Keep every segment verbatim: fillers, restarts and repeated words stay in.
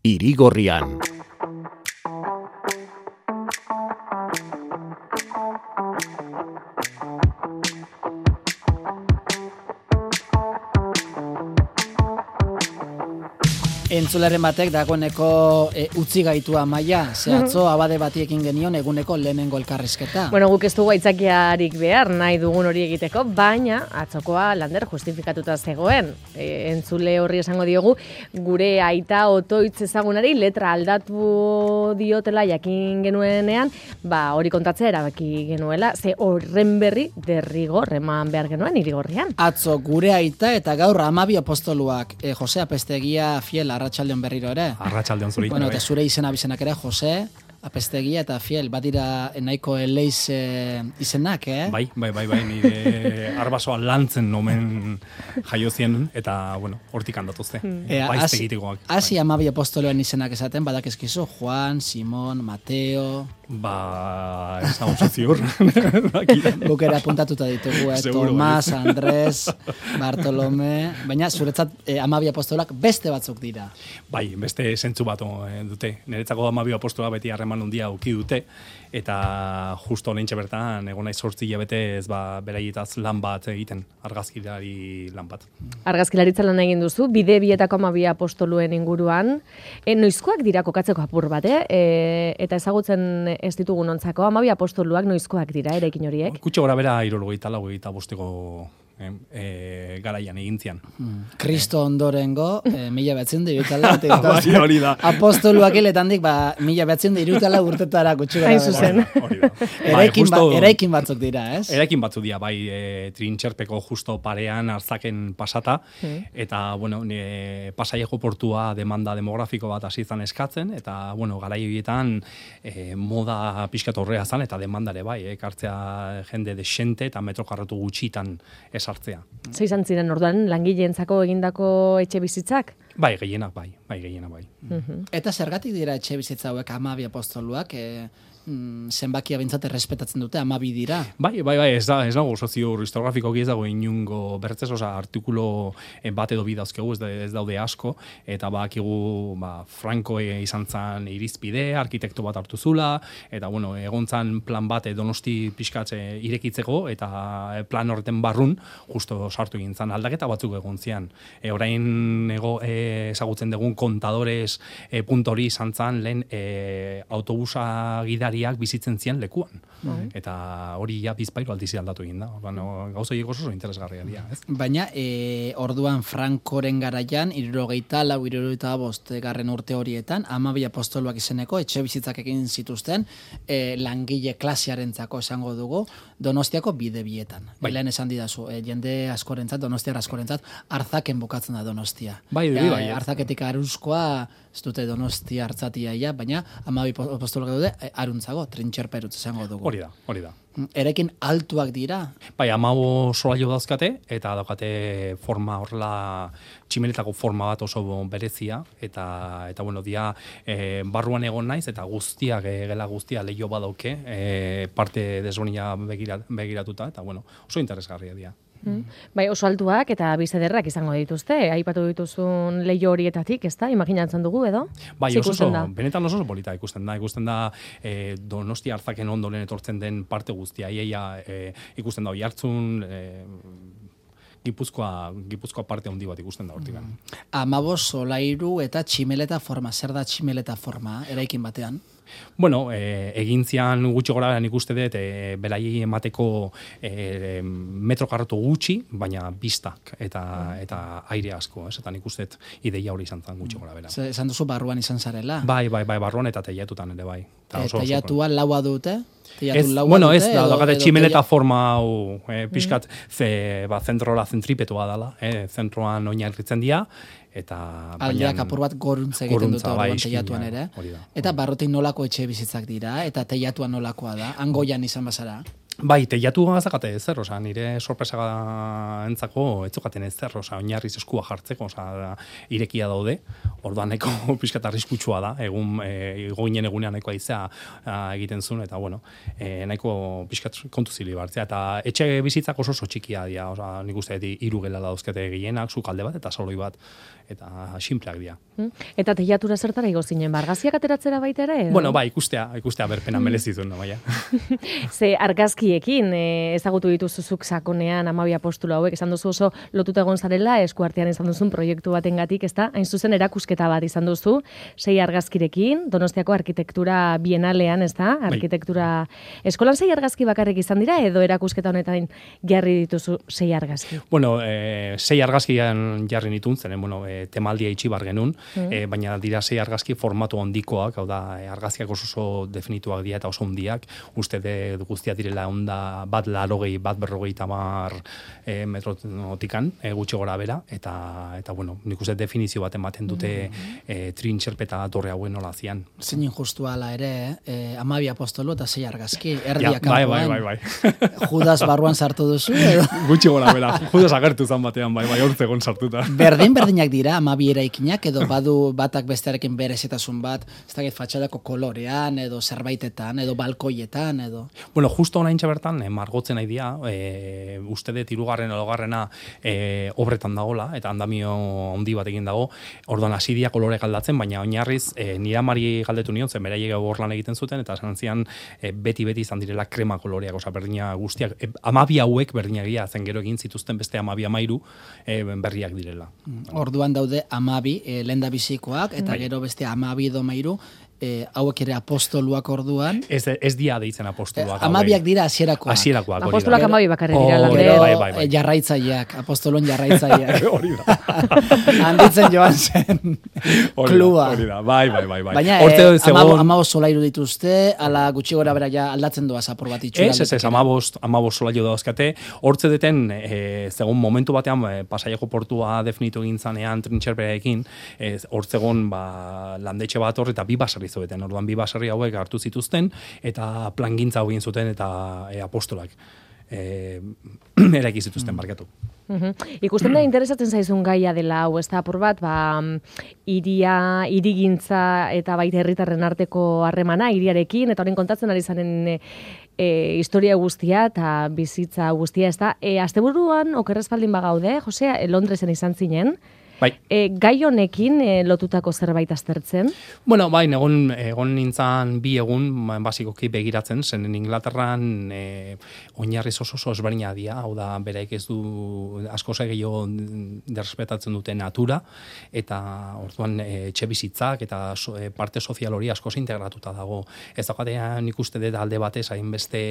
Irigorrian. Entzularen batek dagoeneko e, utzi gaitu Amaia, ze atzo abade batiekin genion eguneko lehenengo elkarrizketa. Bueno, guk ez dugu aitzakiarik behar nahi dugun hori egiteko, baina atzokoa lander justifikatuta zegoen. E, entzule horri esango diogu, gure aita otoitz ezagunari letra aldatu diotela jakin genuenean, ba hori kontatzea erabaki genuela, ze horren berri derrigor eman behar genuen Irigorrian. Atzo gure aita eta gaur Amabi apostoluak, e, Jose Apestegia Fiel Arratsaldeon berriro ere. Arratsaldeon zuri. Bueno, eta zure izena bizenak ere, Jose Apestegia eta Fiel, badira nahiko eleiz e, izenak, eh? Bai, bai, bai, bai, nire arbasoa lantzen nomen jaiozien, eta, bueno, hortik handatuzte. E, Baizte egitekoak. Hasi Amabi apostoloen izenak esaten, badakizkizu, Juan, Simon, Mateo... Ba, ez da oso ziur. Guk ere apuntatuta ditugu, eh? Tomas, Andres, Bartolome... Baina, zuretzat eh, Amabi apostolak beste batzuk dira. Bai, beste zentzu bat eh, dute. Niretzako Amabi apostola beti harreman handia uki dute, eta justo honentxe bertan, egon naiz zortzi hilabete ez ba, beraietaz lan bat egiten, argazkilari lan bat. Argazkilaritza lan egin duzu, bide bietako Amabi apostoluen inguruan. E, noizkoak dira kokatzeko apur bat, eh? E, eta ezagutzen ez ditugun ontzako, Amabi apostoluak noizkoak dira, erekin horiek? Kutxe gora bera hirurogeita lau eta bosteko eh, eh, garaian egintzian. Kristo ondorengo, eh, mila behatzen da irutala. Bai, hori da. Apostoluak hiletandik, ba, mila behatzen da irutala urtetara kutxe gara. Hain zuzen. Hori da. Eraikin, ba, eraikin batzuk dira, ez? Eraikin batzuk dira, bai, e, trintxerpeko justo parean arzaken pasata, mm. eta, bueno, e, Pasaiako portua demanda demografiko bat hasi izan eskatzen, eta, bueno, garai horietan e, moda pixkat horrea zan, eta demandare bai, ekartzea jende desente eta metro karratu gutxitan esartzea. Ze izan ziren orduan langileentzako egindako etxe bizitzak? Bai, gehienak bai, bai, gehienak bai. Mm-hmm. Eta zergatik dira etxe bizitza hauek Amabi apostoluak, e, mm, zenbakia bintzat errespetatzen dute, Amabi dira? Bai, bai, bai, ez da, ez dago sozio historiografikoki ez dago inungo bertzez, oza, artikulo bat edo bi dauzkegu, ez, ez daude asko, eta bakigu, ba, Franco izan zan irizpide, arkitekto bat hartu zula, eta, bueno, egon zan plan bat Donosti pixkatze irekitzeko, eta plan horreten barrun, justo sartu egin zan aldaketa batzuk egon zian. E, orain ego, e, ezagutzen dugun kontadores e, puntori izan zan lehen e, autobusa gidariak bizitzen zian lekuan. Mm. Eta hori ja bizpairu aldizi aldatu egin da. Bueno, gauza horiek oso interesgarria dira, ez? Baina, e, orduan Frankoren garaian, hirurogeita lau, hirurogeita bost garren urte horietan, Amabi apostoluak izeneko etxe bizitzak egin zituzten e, langile klasearentzako esango dugu, Donostiako bide bietan. Bai. Lehen esan didazu, e, jende askorentzat, donostiar askorentzat, arzaken bukatzen da Donostia. Bai, bai, bai. Arzaketik aruzkoa, ez dute Donostia hartzatia ia, baina Amabi apostoluak daude, e, aruntzago, trintxerperutz esango dugu. Hori da, hori da. Erekin altuak dira? Bai, amago solaio dauzkate, eta daukate forma horrela, tximeletako forma bat oso berezia, eta, eta bueno, dia e, barruan egon naiz, eta guztiak, e, gela guztia leio badauke, e, parte desberdina begira, begiratuta, eta bueno, oso interesgarria dira. Mm. Bai, oso altuak eta bizederrak izango dituzte, aipatu dituzun leio horietatik, ez da? Imaginatzen dugu, edo? Bai, oso, oso, benetan oso polita ikusten da, ikusten da e, Donosti hartzaken ondoren etortzen den parte guztia, iaia e, ikusten da Oiartzun, e, Gipuzkoa, Gipuzkoa parte handi bat ikusten da hortik. Mm. Amabos solairu eta tximeleta forma, zer da tximeleta forma, eraikin batean? Bueno, e, egintzian gutxi gora nik uste dut, e, belai emateko e, metro karratu gutxi, baina biztak eta, eta aire asko, ez? Eta nik uste dut ideia hori izan zen gutxi gora bera. Esan duzu barruan izan zarela? Bai, bai, bai, barruan eta teiatutan ere bai. E, teiatua laua dute? Ez, bueno, ez, da, dakate tximeleta forma hau, e, pixkat, ze, ba, zentrola zentripetua dela, e, zentroan oinarritzen dira, eta aldeak apur bat goruntza egiten dute orduan teiatuan ere. Da, eta barrotik nolako etxe bizitzak dira, eta teiatuan nolakoa da, Angoian izan bazara? Bai, teiatu gazakate ezer, oza, nire sorpresa entzako etzukaten ezer, oza, oinarriz eskua jartzeko, oza, irekia daude, orduan nahiko pixkat arriskutsua da, egun, e, goinen egunean nahiko aizea egiten zuen, eta bueno, e, nahiko pixkat kontu zili bartzea, eta etxe bizitzak oso oso txikia dira, oza, nik uste iru gela dauzkete gehienak, zukalde bat, eta saloi bat, eta simpleak dira. Eta teiatura zertara igo zinen, argazkiak ateratzera baita ere? Edo? Bueno, bai, ikustea, ikustea berpena merezituen, no, baina. Ze argazkiekin, e, ezagutu dituzuzuk sakonean amabi apostolo hauek, esan duzu oso lotuta egon zarela, eskuartean izan duzun proiektu batengatik, ezta? Hain zuzen erakusketa bat izan duzu, sei argazkirekin, Donostiako arkitektura bienalean, ezta? Arkitektura eskolan sei argazki bakarrik izan dira, edo erakusketa honetan jarri dituzu sei argazki? Bueno, e, sei argazkian jarri nitun, zenen, bueno, e, temaldia itxibar genuen, mm. e, baina dira sei argazki formatu handikoak, hau da, e, argazkiak oso oso definituak dira eta oso handiak, uste de guztia direla onda bat larogei, bat berrogei tamar e, metrotikan, e, gutxi gora bera, eta, eta bueno, nik uste definizio bat ematen dute mm. e, trintxerpeta torre hauen nola zian. Zein injustu ala ere, eh, amabi apostolo eta sei argazki, erdiak ja, bai, bai, bai, bai. Judas barruan sartu duzu, edo? Gutxi gora bera, Judas agertu zan batean, bai, bai, hortzegon sartuta. Berdin berdinak dira, amabi eraikinak, edo badu batak bestearekin berezitasun bat, ez dakit fatxadako kolorean, edo zerbaitetan, edo balkoietan, edo... Bueno, justo oraintxe bertan, eh, margotzen nahi dia, e, uste dut hirugarren edo garrena e, obretan dagola, eta andamio handi bat egin dago, orduan hasi dia kolore galdatzen, baina oinarriz e, nire amari galdetu nion, zen beraiek hor lan egiten zuten, eta esan zian e, beti-beti izan direla krema koloreak, oza, berdina guztiak, e, amabi hauek berdinak zen gero egin zituzten beste amabi amairu e, berriak direla. Orduan daude amabi e, lenda bizikoak, eta bai. Gero beste amabi edo mairu, E, hauek ere apostoluak orduan. Ez, ez dia deitzen apostoluak. E, amabiak dira hasierakoak. Hasierakoak. Apostoluak amabi bakarrik dira. Oh, gero bai, bai, bai. Jarraitzaileak, apostolon jarraitzaileak. Hori da. Handitzen joan zen klua. Hori da, bai, bai, bai. bai. Baina e, zegoen... amabost solairu dituzte, ala gutxi gora bera ja aldatzen doaz apur bat itxura. Ez, ez, ez, amabost, amabost solairu dauzkate. Hortze deten, e, zegoen momentu batean, e, Pasaiako portua definitu egin zanean trintxerperekin, hortzegon ba, landetxe bat hor eta bi basarri zoeten, orduan bi baserri hauek hartu zituzten eta plangintza hau egin zuten eta e, apostolak e, eraiki zituzten barkatu. Uhum. Ikusten da interesatzen zaizun gaia dela hau, ez da apur bat, ba, iria, irigintza eta baita herritarren arteko harremana, iriarekin, eta horren kontatzen ari zanen e, e, historia guztia eta bizitza guztia, ez da. E, asteburuan, okerrezpaldin bagaude, Josea, Londresen izan zinen, Bai. E, gai honekin e, lotutako zerbait aztertzen? Bueno, bai, egon, egon nintzen bi egun, basikoki begiratzen, zen Inglaterran e, oinarriz oso oso ezberdina dira, hau da, beraik ez du asko gehiago derrespetatzen dute natura, eta orduan e, etxe bizitzak eta so, e, parte sozial hori asko integratuta dago. Ez daukatean ikuste dut alde batez, hainbeste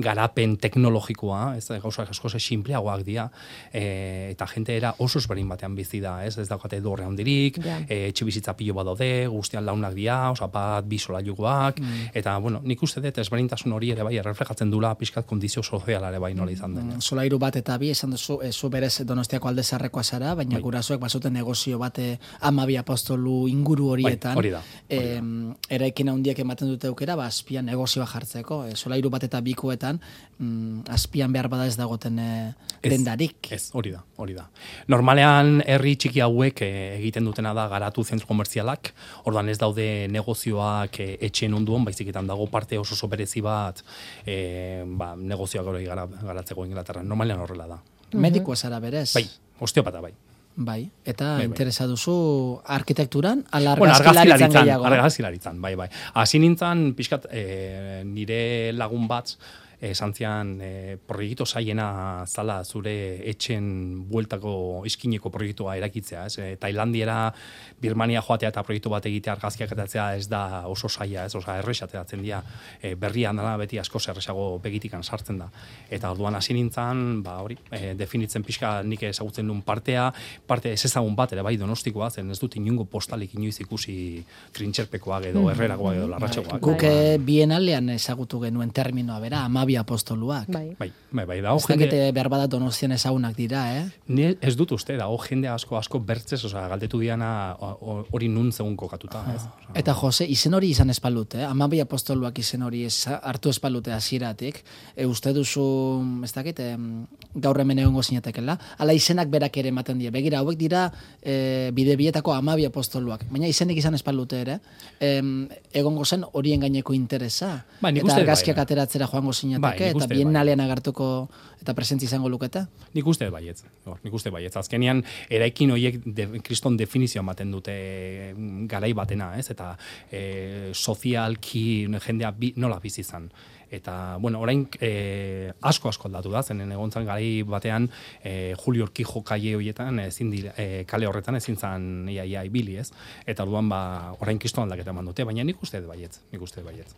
garapen teknologikoa, ez gauzak asko sinpleagoak dira, e, eta jente era oso ezberdin batean bizi da, ez? Ez daukate dorre handirik, yeah. e, etxe bizitza pilo bat daude, guztian launak dira, oza, bat bi solairukoak, mm. eta, bueno, nik uste dut ezberdintasun hori ere bai, erreflejatzen dula pixkat kondizio sozialare bai nola izan den. Mm. Solairu bat eta bi, esan duzu, e, zu berez Donostiako alde zarrekoa zara, baina bai. Gurasoek bazuten negozio bate amabi apostolu inguru horietan. Bai, hori da. Hori da. E, eraikin handiek ematen dute aukera, ba, azpian negozioa jartzeko. E, solairu bat eta bikoetan, mm, azpian behar bada ez dagoten e, dendarik. Ez, hori da, hori da. Normalean, herri txiki hauek e, egiten dutena da garatu zentro komertzialak, orduan ez daude negozioak e, etxen onduan, baiziketan dago parte oso oso berezi bat e, ba, negozioak hori gara, garatzeko Inglaterran. Normalean horrela da. Medikoa zara berez? Bai, osteopata bai. Bai, eta bai, bai. Interesa duzu arkitekturan, ala bueno, argazkilaritzan gehiago? Argazkilaritzan, bai, bai. Hasi nintzen, pixkat, e, nire lagun bat, esan zian e, proiektu zaiena zala zure etxen bueltako iskineko proiektua erakitzea, ez? E, Tailandiera, Birmania joatea eta proiektu bat egitea argazkiak atatzea ez da oso zaila, ez? Osa, errexateatzen dira, e, berrian dela beti asko zerresago begitikan sartzen da. Eta orduan hasi nintzen, ba, hori, e, definitzen pixka nik ezagutzen duen partea, parte ez ezagun bat ere bai Donostikoa, zen ez dut inungo postalik inoiz ikusi trintxerpekoak edo herrerakoak edo larratxekoak. Guk bienalean ezagutu genuen terminoa bera, amabi amabi apostoluak. Bai. Bai, bai, bai, dago Ez jende... dakite behar bada Donostian ezagunak dira, eh? Ni ez dut uste, dago jende asko asko bertzez, osea, galdetu diana hori nun zegun kokatuta, ez? Osea, Eta Jose, izen hori izan espalute, eh? Amabi apostoluak izen hori ez, hartu espalute hasieratik. E, uste duzu, ez dakit, e, gaur hemen egongo zinatekela, ala izenak berak ere ematen die. Begira, hauek dira e, bide bietako amabi apostoluak. Baina izenik izan espalute ere, e, egongo zen horien gaineko interesa. Bai, nik eta uste argazkiak bai, ateratzera joango zinateke, Bai, nik eta uste biennalean agertuko eta presentzi izango lukete. Nik uste baietz, no, nik uste baietz. Azkenean, eraikin horiek de, kriston definizioa ematen dute garai batena, ez? Eta e, sozialki jendea bi, nola bizi izan. Eta, bueno, orain e, asko asko aldatu da, zenen egontzan garai batean e, Julio Urquijo kaie horietan, ezin dira, e, kale horretan ezin zan ia, ia ibili, ez? Eta orduan ba, orain kriston aldaketa eman dute, baina nik uste baietz, nik uste baietz.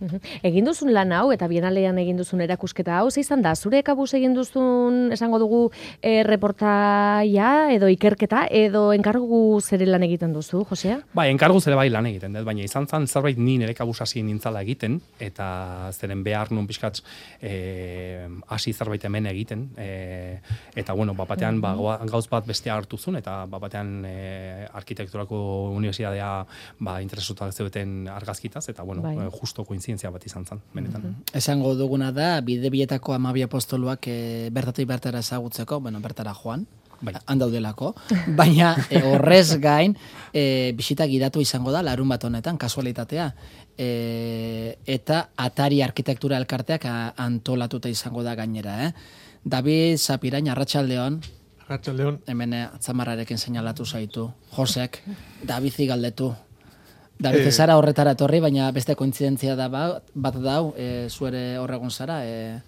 Egin duzun lan hau, eta bienalean egin duzun erakusketa hau, ze izan da, zure kabuz egin duzun, esango dugu, e, reportaia, edo ikerketa, edo enkargu zere lan egiten duzu, Josea? Ba, enkargu zere bai lan egiten, dut, baina izan zan zerbait ni nire kabuz hasi nintzala egiten, eta zeren behar nun pixkat eh, hasi zerbait hemen egiten, eh, eta bueno, bapatean ba, gauz bat bestea hartu zuen, eta bapatean eh, arkitekturako unibertsitatea ba, interesutak zeuden argazkitaz, eta bueno, Bai. justo kointzidentzia bat izan zen, benetan. Esango duguna da, bide bietako amabi apostoluak e, bertatik bertara ezagutzeko, bueno, bertara joan, Bai. handaudelako, baina e, horrez gain e, bisita gidatu izango da larun bat honetan, kasualitatea, e, eta Atari Arkitektura Elkarteak a, antolatuta izango da gainera, eh? David Zapirain, Arratsaldeon, Arratsaldeon. hemen atzamarrarekin seinalatu zaitu, Josek, Davizi galdetu. David, Eh, zara horretara etorri, baina beste kointzidentzia da ba, bat dau, e, zuere horregun zara, e,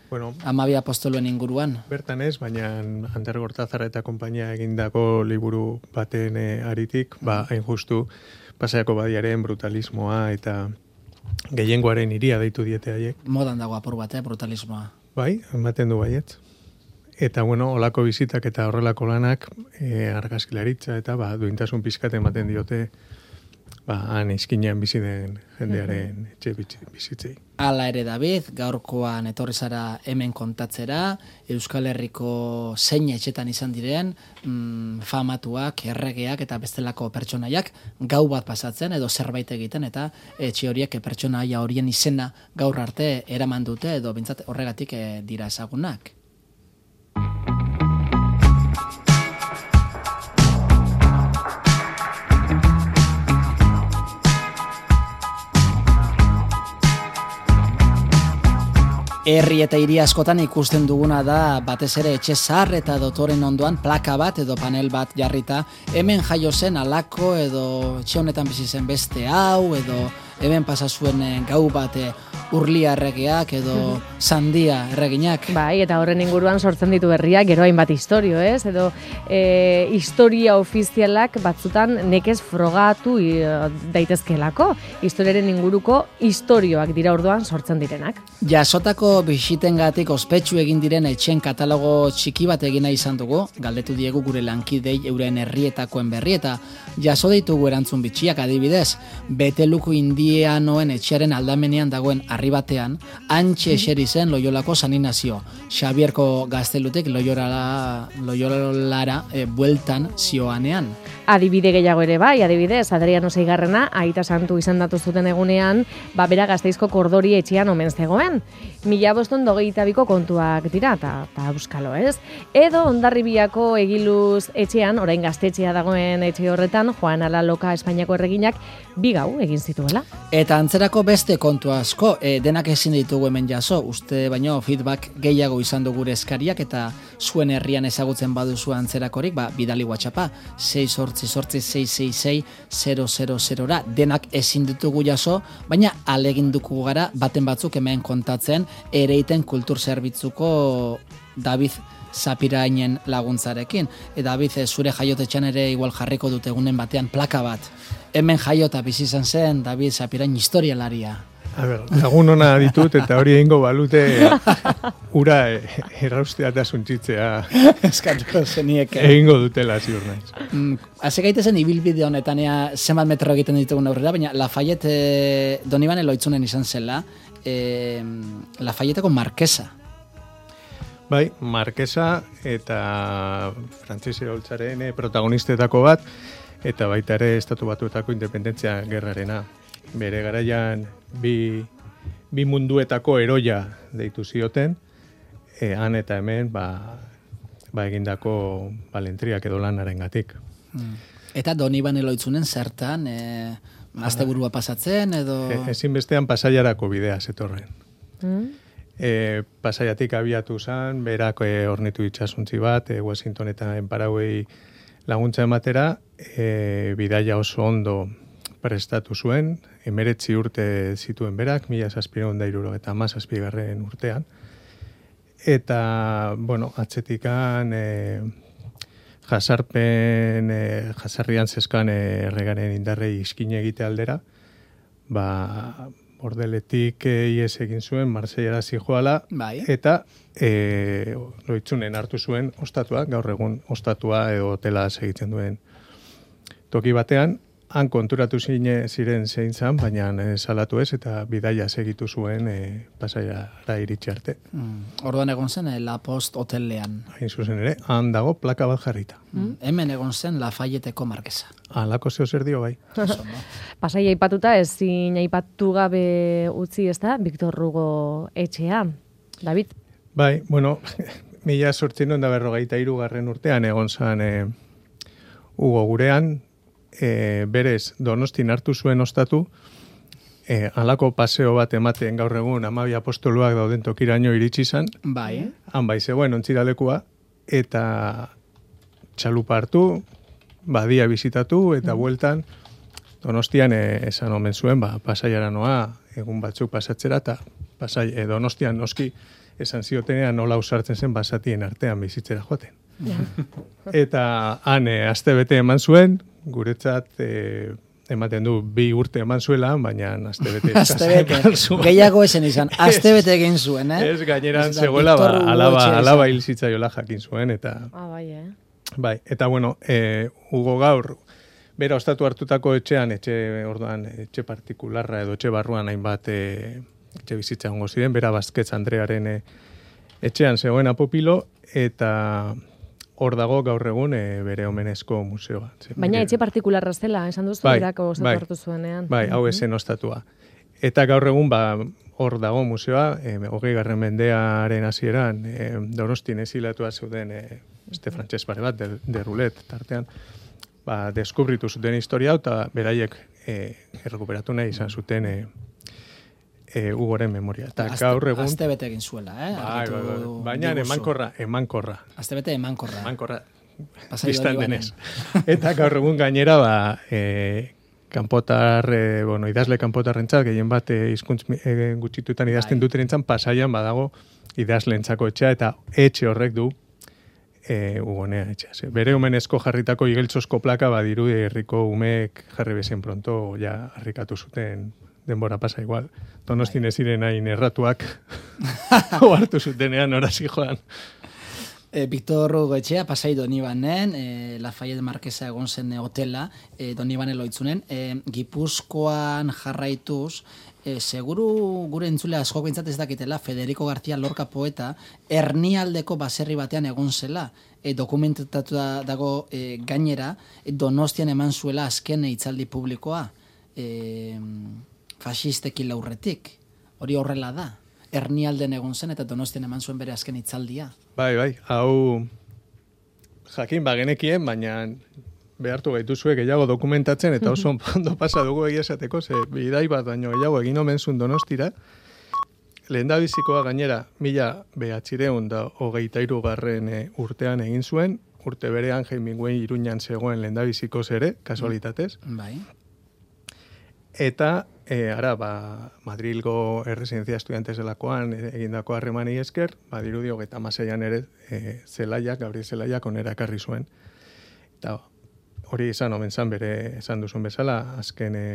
Bueno, amabi apostoluen inguruan. bertan ez, baina Ander Gortazar eta konpainia egindako liburu baten e, aritik, ba, hain justu, Pasaiako badiaren brutalismoa eta gehiengoaren iria deitu diete haiek. Modan dago apur bat, eh, brutalismoa. Bai, ematen du baietz. Eta, bueno, olako bizitak eta horrelako lanak e, argazkilaritza eta ba, duintasun pizkat ematen diote ba, han izkinean bizi den jendearen etxe bizitzei. Hala ere, David, gaurkoan etorri zara hemen kontatzera, Euskal Herriko zein etxetan izan diren, mm, famatuak, erregeak eta bestelako pertsonaiak gau bat pasatzen edo zerbait egiten, eta etxe horiek pertsonaia horien izena gaur arte eraman dute edo bintzat horregatik eh, dira ezagunak. Herri eta hiri askotan ikusten duguna da batez ere etxe zahar eta dotoren ondoan plaka bat edo panel bat jarrita, hemen jaio zen alako edo etxe honetan bizi zen beste hau edo hemen pasa zuen gau bat Urlia erregeak edo Sandia erreginak. Bai, eta horren inguruan sortzen ditu berriak, gero hainbat historio, ez? Edo e, historia ofizialak batzutan nekez frogatu i, daitezkelako. Historiaren inguruko historioak dira orduan sortzen direnak. Jasotako bisitengatik ospetsu egin diren etxen katalogo txiki bat egina izan dugu, galdetu diegu gure lankidei euren herrietakoen berri eta jaso ditugu erantzun bitxiak, adibidez, Beteluko indianoen etxearen aldamenean dagoen harri batean, antxe eseri zen Loiolako San Inazio, Xabierko gaztelutik Loiolara, Loiolara e, bueltan zioanean. Adibide gehiago ere bai, adibidez, Adriano Seigarrena, aita santu izendatu zuten egunean, ba bera Gasteizko Kordori etxean omen zegoen. Mila boston dogeita biko kontuak dira, eta euskalo, ez? Edo Hondarribiako Egiluz etxean, orain gaztetxea dagoen etxe horretan, Juan Alaloka Espainiako erreginak bi gau egin zituela. Eta antzerako beste kontu asko, e, denak ezin ditugu hemen jaso, uste baino feedback gehiago izan du gure eskariak eta zuen herrian ezagutzen baduzu antzerakorik, ba, bidali WhatsAppa, sei sortzi sortzi sei sei sei zero zero zerora, denak ezin ditugu jaso, baina aleginduko gara baten batzuk hemen kontatzen, Ereiten kultur zerbitzuko David Zapirainen laguntzarekin. E, David, zure jaiotetxan ere igual jarriko dute egunen batean plaka bat. Hemen jaiota bizi izan zen David Zapirain historialaria. A ber, lagun ona ditut eta hori egingo balute ura erraustea eta suntzitzea Eskatuko zenieke. egingo dutela ziur naiz. Mm, Hase gaitezen ibilbide honetan ea zenbat metro egiten ditugun aurrera, baina Lafayette e, Donibane Loitzunen izan zela, e, Lafayeteko markesa. Bai, markesa eta Frantses iraultzaren protagonistetako bat, eta baita ere Estatu Batuetako independentzia gerrarena. Bere garaian bi, bi munduetako eroia deitu zioten, e, han eta hemen ba, ba egindako balentriak edo lanarengatik. Mm. Eta Donibane Loitzunen zertan, e, asteburua pasatzen edo... E, ezinbestean Pasaiarako bidea zetorren. Mm? E, Pasaiatik abiatu zen, berak e, ornitu itxasuntzi bat, e, Washington eta Enparauei laguntza ematera, e, bidaia oso ondo prestatu zuen, emeretzi urte zituen berak, mila zazpireun da iruro eta mazazpigarren urtean. Eta, bueno, atzetikan e, jasarpen, e, jasarrian zeskan erregaren indarrei iskine egite aldera, ba, bordeletik e, ies egin zuen, Marseillara zijoala, bai. eta e, Loitzunen hartu zuen ostatua, gaur egun ostatua edo hotela segitzen duen toki batean, han konturatu zine ziren zein zan, baina e, salatu ez, eta bidaia segitu zuen e, Pasaiara iritsi arte. Mm. Orduan egon zen, eh, La Post hotelean. Hain zuzen ere, han dago plaka bat jarrita. Mm. Hemen egon zen Lafayeteko markesa. Halako zeo zer dio bai. Pasaia aipatuta ezin aipatu gabe utzi, ez da, Victor Hugo etxea. David? Bai, bueno, mila sortzinon da berrogeita hirugarren urtean egon zan e, Hugo gurean, e, berez Donostin hartu zuen ostatu, e, halako paseo bat ematen gaur egun hamabi apostoluak dauden tokiraino iritsi zan, Bai. han bai zegoen ontziralekua, eta txalupa hartu, badia bizitatu, eta bueltan Donostian e, esan omen zuen, ba, Pasaiara noa, egun batzuk pasatzera, eta Pasai, e, Donostian noski esan ziotenean nola usartzen zen basatien artean bizitzera joaten. Eta han e, aste bete eman zuen, guretzat e, ematen du bi urte eman zuela, baina aste bete Astebete. Gehiago esen izan, astebete egin zuen, eh? Ez gaineran Ez da, zegoela, ba, Victor Hugo alaba, etxe alaba izan. hil zitzaiola jakin zuen, eta Ah, bai, eh? bai, eta bueno, e, Hugo gaur, bera ostatu hartutako etxean, etxe orduan, etxe partikularra edo etxe barruan hainbat e, etxe bizitza hongo ziren, bera Bazketz Andrearen e, etxean zegoen apopilo, eta hor dago gaur egun e, bere omenezko museoa. Ze- Baina bere- etxe partikularra zela, esan duzu, Bai, berako ostatu bai. hartu zuenean. Bai, hau esen ostatua. Eta gaur egun, ba, hor dago museoa, e, hogei garren mendearen hasieran, e, Donostin ezilatua zeuden e, este frantses pare bat, de, de rulet, tartean, ba, deskubritu zuten historia, hau, eta beraiek e, errekuperatu nahi izan zuten e, e, Hugoren memoria. Eta gaur egun... Astebete egin zuela, eh? Bai, Argitu bai, bai. Baina diguzu. emankorra, emankorra. Astebete emankorra. Emankorra. Pasai Bistan Donibanen. denez. Eta gaur egun gainera, ba, e, kanpotar, e, bueno, idazle kanpotarrentzat, gehien bat e, hizkuntz e, gutxitutan idazten Bai. dutenentzat, Pasaian badago idazlentzako etxea, eta etxe horrek du e, Hugonea etxea. Ze, bere omenezko jarritako igeltsosko plaka badiru herriko umeek jarri bezen pronto ja harrikatu zuten denbora pasa igual. Donostin ez ziren hain erratuak hartu zutenean orazi joan. E, Victor Hugo etxea, Pasai Donibanen, e, Lafayette Markesa egon zen e, hotela, e, Donibane Loitzunen, e, Gipuzkoan jarraituz, e, seguru gure entzule asko bintzat ez dakitela, Federico García Lorca poeta, Ernialdeko baserri batean egon zela, e, dokumentatu dago e, gainera, e, Donostian eman zuela azken hitzaldi publikoa, e, fasistekin laurretik, hori horrela da. Ernialden egon zen eta Donostian eman zuen bere azken hitzaldia. Bai, bai, hau jakin bagenekien, baina behartu gaituzue gehiago dokumentatzen, eta oso ondo pasa dugu egia esateko, ze bidai bat baino gehiago egin omen zuen Donostira. Lehendabizikoa gainera, mila behatzireun da hogeita hirugarren e, urtean egin zuen, urte berean Hemingway Iruñan zegoen lehendabizikoz ere, kasualitatez. Bai. Eta, e, ara, ba, Madrilgo erresidentzia estudiantes delakoan e, egindako harremani esker, ba, dirudi hogeita hamaseian ere e, Zelaiak, Gabriel Zelaiak onera ekarri zuen. Eta hori izan omen zan bere esan duzun bezala, azken e,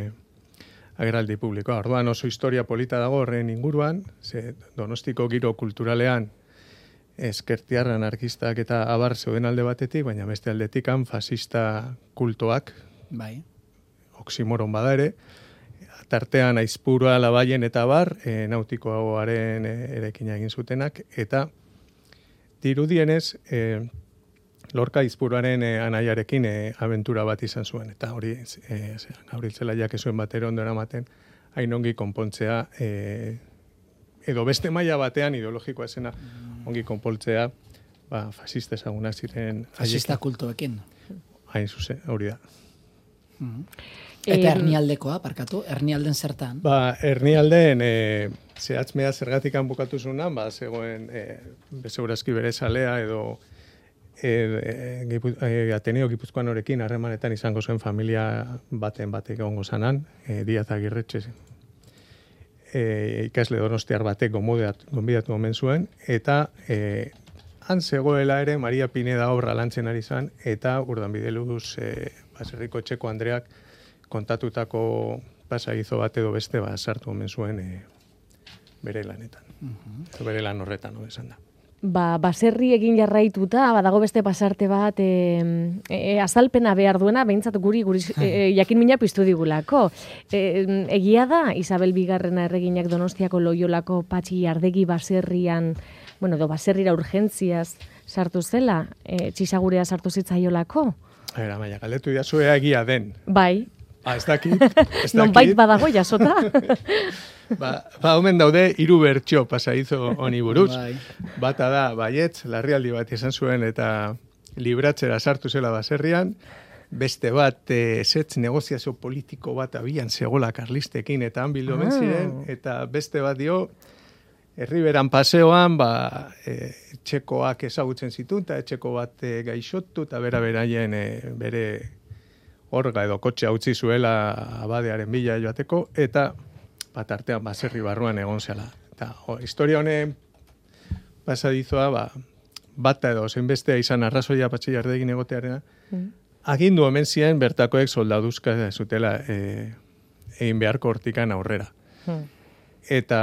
agerraldi publikoa. Orduan oso historia polita dago horren inguruan, ze Donostiko giro kulturalean eskertiarra anarkistak eta abar zeuden alde batetik, baina beste aldetikan fasista kultoak, Bai. oksimoron bada ere, tartean Aizpurua, Labaien eta bar, e, nautikoaren e, erekina egin zutenak, eta dirudienez, e, Lorca Aizpuruaren e, anaiarekin e, abentura bat izan zuen, eta hori e, Gabrieltzelaiak ezuen batero ondo eramaten, hain ongi konpontzea, e, edo beste maila batean ideologikoa esena ongi konpontzea, ba, fasista ezaguna ziren... Fasista kultuekin. Hain zuzen, hori da. Mm-hmm. Eta hernialdekoa, parkatu, hernialden zertan? Ba, hernialden, e, zehatzmea zergatikan bukatu zunan, ba, zegoen, e, bezeurazki bere salea, edo e, e, gipu, e, Ateneo Gipuzkoan horekin harremanetan izango zuen familia baten batek egongo zanan, e, Diaz Agirretxe, e, ikasle donostiar batek gonbidatu omen zuen, eta e, han zegoela ere Maria Pineda obra lantzen ari zan, eta Urdanbideluz e, baserriko etxeko Andreak kontatutako pasaizo bat edo beste ba, sartu omen zuen e, bere lanetan. Uh-huh. Bere lan horretan, no, esan da. Ba, baserri egin jarraituta, badago beste pasarte bat, e, e, azalpena behar duena, behintzat guri, guri e, jakin mina piztu digulako. E, egia da, Isabel Bigarrena erreginak Donostiako Loiolako Patxi Jardegi baserrian, bueno, do baserrira urgentziaz sartu zela, e, txisagurea sartu zitzaiolako? Era, maia, galdetu diazuea egia den. Bai. Ah, ez dakit. Ez dakit. Nonbait badago jasota. ba, ba, omen daude, hiru bertxo pasaizo honi buruz. Bai. Bata da, baietz, larrialdi bat izan zuen eta libratzera sartu zela baserrian. Beste bat, e, setz negoziazio politiko bat abian zegoela karlistekin eta han bildu ah. ziren. Eta beste bat dio, Herriberan paseoan, ba, e, etxekoak ezagutzen zituen, eta etxeko bat e, gaixotu, eta bera beraien e, bere orga edo kotxea utzi zuela abadearen bila joateko, eta bat artean baserri barruan egon zela. Eta o, historia honen pasadizoa, ba, bata edo zenbestea izan arrazoia Patxi Jardegin egotearena, mm. agindu omen ziren bertakoek soldaduzka zutela e, egin beharko hortikan aurrera. Mm. Eta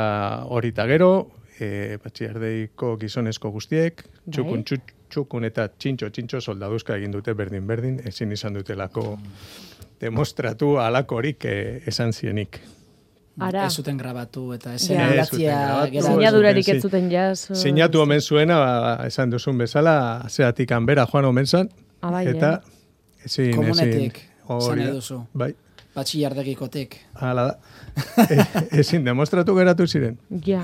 hori eta gero, e, Patxi Jardeiko gizonezko guztiek, txukun, txuk, txukun eta txintxo, txintxo soldaduzka egin dute berdin-berdin, ezin izan dutelako demostratu alakorik e, esan zienik. Ara. Ez zuten grabatu eta ez eratzia... Sinadurarik ez zuten jaz. Sinatu omen zuena, ba, esan duzun bezala, zeatik hanbera joan omen zan, Abai, eta ezin... Komunetik, zan eduzu. Bai. Patxi Jardegikotek. Hala da. e, ezin demostratu geratu ziren. Ja.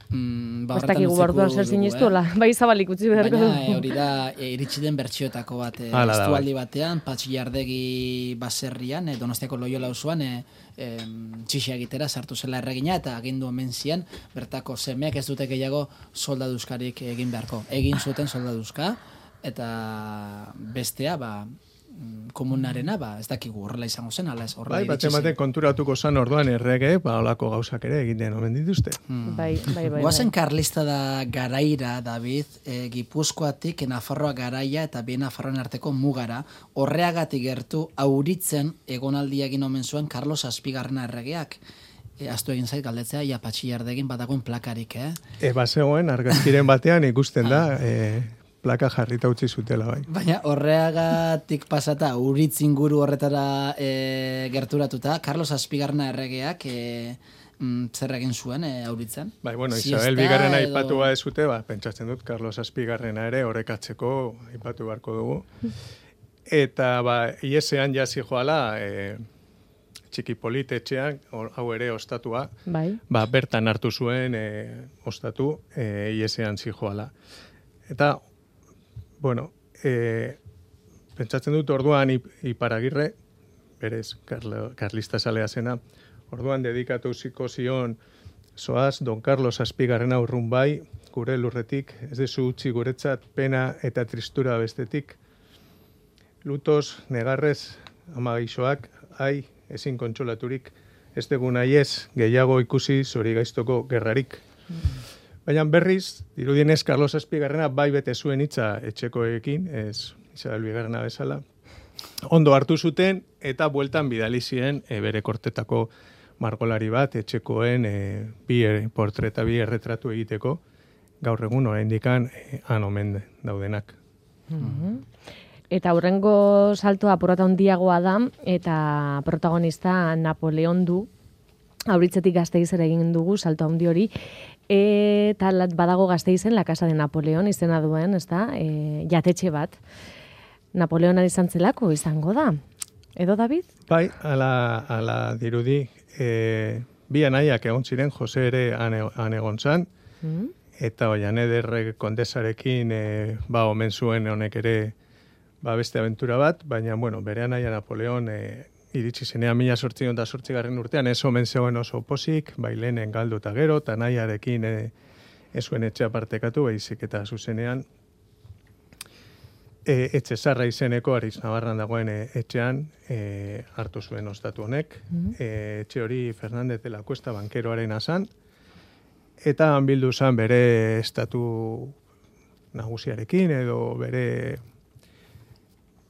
Mm, ba, Bastak igu borduan zer ziniztuela. Eh? Bai zabalik utzi beharko du. Baina hori da, e, iritsi den bertsioetako bat. E, Estualdi batean, Patxi Jardegi baserrian, e, Donostiako Loiola auzoan, e, e, txixa egitera sartu zela erregina, eta agindu omen zian, bertako semeak ez dute gehiago soldaduzkarik egin beharko. Egin zuten soldaduzka, eta bestea, ba, komunarena, ba, ez dakigu horrela izango zen, ala ez horrela bai, iritsi zen. Bai, bat konturatuko zan orduan errege, ba, olako gauzak ere egiten omen dituzte. Hmm. Bai, bai, bai. Guazen karlista da garaira, David, e, Gipuzkoatik Nafarroa garaia eta bien Nafarroan arteko mugara, horreagatik gertu auritzen egonaldia egin omen zuen Carlos Azpigarrena erregeak. E, Aztu egin zait galdetzea, ja Patxi Jardegin badagoen plakarik, eh? E, bazegoen, argazkiren batean ikusten da, e, plaka jarrita utzi zutela, bai. Baina horreagatik pasata, uritz inguru horretara e, gerturatuta, Carlos Azpigarrena erregeak e, mm, zer egin zuen e, auritzen? Bai, bueno, Isabel Bigarrena edo... aipatu ba ez zute, ba, pentsatzen dut, Carlos Azpigarrena ere horrekatzeko aipatu beharko dugu. Eta, ba, iesean jasi joala, e, txiki politetxean, hau ere ostatua, bai. Ba, bertan hartu zuen e, ostatu, e, iesean zijoala. Eta, bueno, e, pentsatzen dut orduan Iparagirre, berez, Karlo, Karlista salea zena, orduan dedikatu ziko zion, zoaz, Don Carlos Azpigarrena urrun bai, gure lurretik, ez dezu utzi guretzat pena eta tristura bestetik. Lutos, negarrez, ama gaixoak, ai, ezin kontsolaturik, ez dugu nahi ez, gehiago ikusi zori gaiztoko gerrarik. Mm. Baina berriz, dirudienez, Carlos Azpigarrena bai bete zuen hitza etxekoekin, ez Isabel Bigarrena bezala. Ondo hartu zuten eta bueltan bidali ziren e, bere kortetako margolari bat etxekoen e, bi portreta, bi erretratu egiteko, gaur egun oraindikan e, han omen daudenak. Mm-hmm. Eta hurrengo saltoa porrota handiagoa da, eta protagonista Napoleon du, Auritzetik Gasteizera egin dugu salto handi hori, eta badago Gasteizen La Casa de Napoleon izena duen, ezta? E, jatetxe bat. Napoleonan izan zelako izango da. Edo, David? Bai, ala, ala dirudi, e, bi anaiak egon ziren, Jose ere han egon zan, mm. eta oian eder kondesarekin e, ba, omen zuen honek ere ba, beste aventura bat, baina, bueno, bere anaia Napoleon e, iritsi zenean mila sortzion da sortzigarren urtean, ez omen zegoen oso posik, bailenen galdu eta gero, eta anaiarekin e, ez zuen etxea partekatu, baizik eta zuzenean, E, etxe zarra izeneko Ariz Navarran dagoen e, etxean e, hartu zuen ostatu honek. Mm-hmm. e, etxe hori Fernández de la Cuesta bankeroaren azan, eta han bildu zan bere estatu nagusiarekin edo bere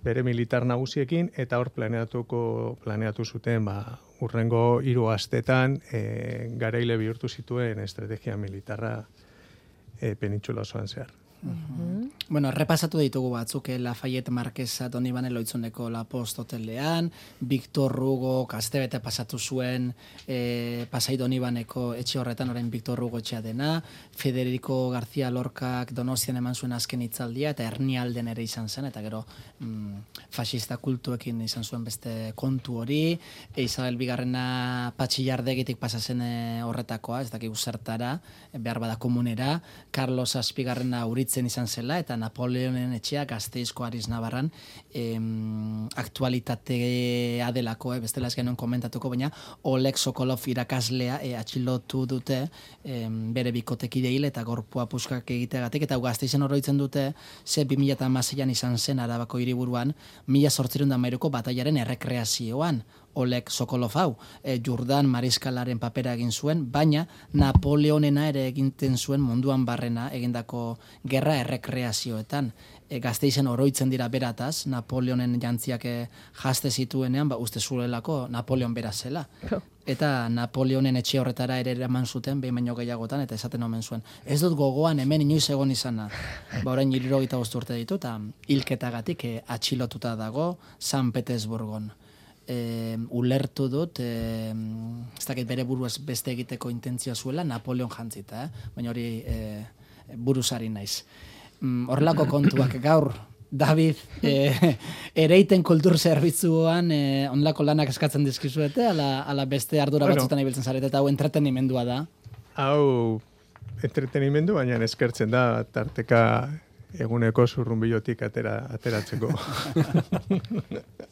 bere militar nagusiekin, eta hor planeatuko planeatu zuten ba, urrengo hiru astetan e, garaile bihurtu zituen estrategia militarra e, penintxula osoan zehar. Uh-huh. Bueno, repasatu ditugu batzuk, eh, Lafayette Marquesa Donibane Loitzuneko La Post hotelean, Victor Hugo kastebete pasatu zuen eh, Pasai Donibaneko etxe horretan, orain Victor Hugo etxea dena, Federico García Lorcak Donostian eman zuen azken hitzaldia, eta Hernialden ere izan zen, eta gero mm, fascista kultuekin izan zuen beste kontu hori, e, Isabel Bigarrena Patxillardegitik pasazen e, horretakoa, ez dakik zertara, behar bada komunera, Carlos Azpigarrena Uritzen izan zela, eta Napoleonen etxea Gasteizko Ariz Navarran em, aktualitatea delako, eh, bestela ez genuen komentatuko, baina Oleg Sokolov irakaslea eh, atxilotu dute em, bere bikotekide hil eta gorpua puskak egiteagatik, eta Gasteizen oroitzen dute ze bi mila hamaseian izan zen Arabako hiriburuan mila zortziehun eta hamairuko batailaren errekreazioan. Oleg Sokolov hau, e, Jordan Mariskalaren papera egin zuen, baina Napoleonena ere eginten zuen munduan barrena egindako gerra errekreazioetan. E, Gasteizen oroitzen dira berataz, Napoleonen jantziak e, jazte zituenean, ba, uste zuelako Napoleon bera zela. Eta Napoleonen etxe horretara ere eraman zuten, behin baino gehiagotan, eta esaten omen zuen. Ez dut gogoan hemen inoiz egon izana. Ba, orain hirurogeita bost urte ditu, eta hilketagatik e, atxilotuta dago San Petersburgon. E, ulertu dut, e, ez dakit bere buruaz beste egiteko intentzioa zuela, Napoleon jantzita, eh? Baina hori e, buruzari naiz. Mm, horrelako kontuak gaur, David, e, ereiten kultur zerbitzuan e, onlako lanak eskatzen dizkizuete, ala, ala beste ardura bueno, batzutan ibiltzen zarete, eta hau entretenimendua da? Hau entretenimendu, baina eskertzen da, tarteka eguneko zurrunbilotik atera, ateratzeko.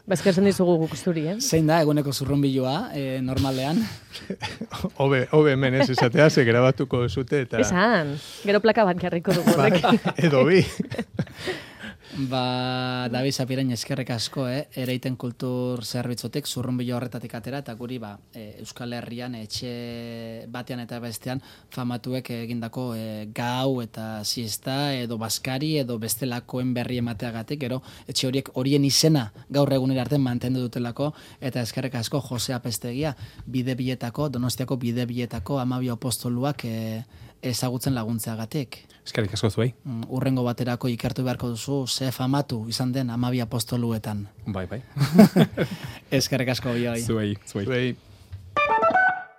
Bazkerzen dizugu guk zuri, eh? Zein da eguneko zurrunbiloa, eh, normalean? Obe, obe hemen ez esatea, ze grabatuko zute eta... Esan, gero plaka bat jarriko dugu. Ba, edo bi. Ba, David Zapirain eskerrek asko, eh? Ereiten kultur zerbitzotik zurrunbilo horretatik atera, eta guri ba, e, Euskal Herrian etxe batean eta bestean famatuek egindako e, gau eta siesta edo baskari edo bestelakoen berri emateagatik, gero etxe horiek horien izena gaur egunera arte mantendu dutelako, eta eskerrek asko Jose Apestegia bide bietako, Donostiako bide bietako amabi apostoluak e, ezagutzen laguntzeagatik. Eskerrik asko zuei. Urrengo baterako ikertu beharko duzu, ze famatu izan den amabi apostoluetan. Bai, bai. Eskerrik asko bioi. Zuei, zuei. Zuei.